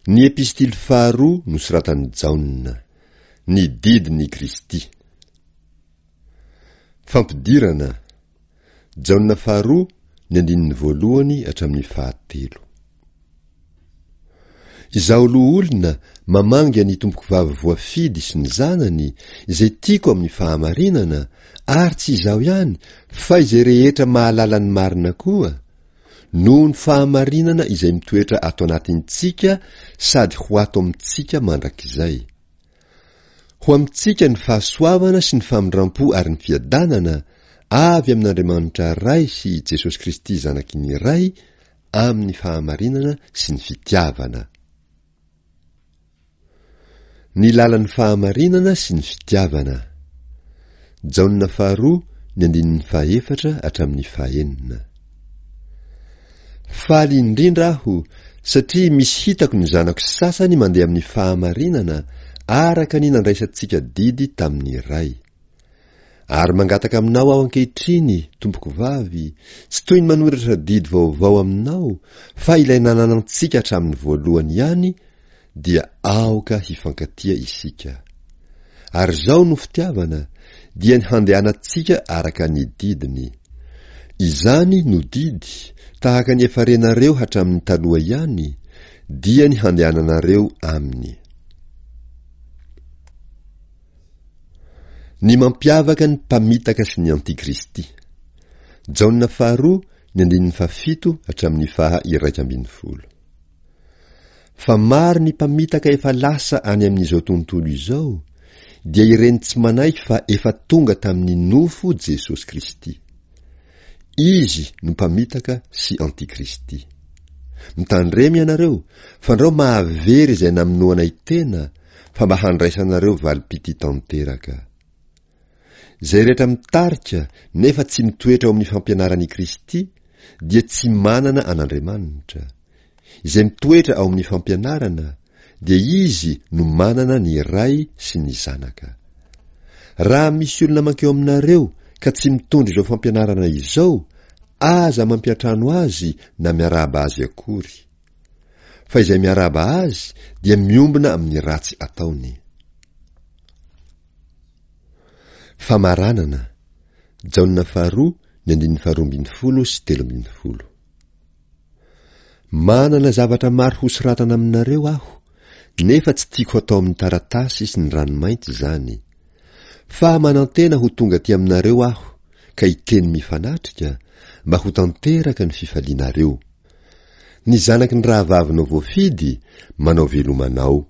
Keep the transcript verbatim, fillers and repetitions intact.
Ny epistily faharoa nosoratan'i Jaona. Ny didin'i Kristy. Fampidirana. Jaona faharoa, ny andininy voalohany hatramin'ny fahatelo. Izaho loholona mamangy an'i Tompokovavy voafidy sy ny zanany, izay tiako amin'ny fahamarinana, ary tsy izaho ihany, fa izay rehetra mahalala ny marina koa, noho ny fahamarinana izay mitoetra ato anatintsika sady ho ato amintsika mandrakizay. Ho amintsika ny fahasoavana sy ny famindrampo ary ny fiadanana avy amin'Andriamanitra Ray sy i Jesosy Kristy Zanaky ny Ray amin'ny fahamarinana sy ny fitiavana. Ny lalan'ny fahamarinana sy ny fitiavana. Jaona faharoa, ny andininy fahaefatra hatramin'ny fahenina. Faly indrindra aho satria misy hitako ny zanako sasany mandeha amin'ny fahamarinana araka ny nandraisantsika didy tamin'ny Ray. Ary mangataka aminao aho ankehitriny, tompokovavy, tsy toy ny manoratra didy vaovao aminao, fa ilay nananantsika hatramin'ny voalohany ihany, dia aoka hifankatia isika. Ary izao no fitiavana, dia ny handehanantsika araka ny didiny. Izany no didy, tahaka ny efa renareo hatramin'ny taloha ihany, dia ny handehananareo aminy. Ny mampiavaka ny mpamitaka sy ny antikristy. Jaona faharoa, ny andininy fahafito hatramin'ny faha iraika ambin'ny folo. Fa maro ny mpamitaka efa lasa any amin'izao tontolo izao, dia ireny tsy manaiky fa efa tonga tamin'ny nofo Jesosy Kristy. Izy no mpamitaka sy antikristy. Mitandrema ianareo, fandrao mahavery izay namonoanay tena, fa mba handraisanareo valim-pitia tanteraka. Izay rehetra mitarika nefa tsy mitoetra ao amin'ny fampianaran'i Kristy dia tsy manana an'Andriamanitra. Izay mitoetra ao amin'ny fampianarana dia izy no manana ny Ray sy ny Zanaka. Raha misy olona mankeo aminareo ka tsy mitondra izao fampianarana izao, aza mampiantrano azy na miarahaba azy akory. Fa izay miarahaba azy dia miombona amin'ny ratsy ataony. Famaranana, Jaona faharoa, ny andininy faharoa ambin'ny folo sy telo ambin'ny folo. Manana zavatra maro hosoratana aminareo aho, nefa tsy tiako hatao amin'ny taratasy sy ny ranomainty izany. Fa manantena ho tonga aty aminareo aho, ka hiteny mifanatrika, mba ho tanteraka ny fifalianareo. Ny zanaky ny rahavavinao voafidy, manao veloma anao.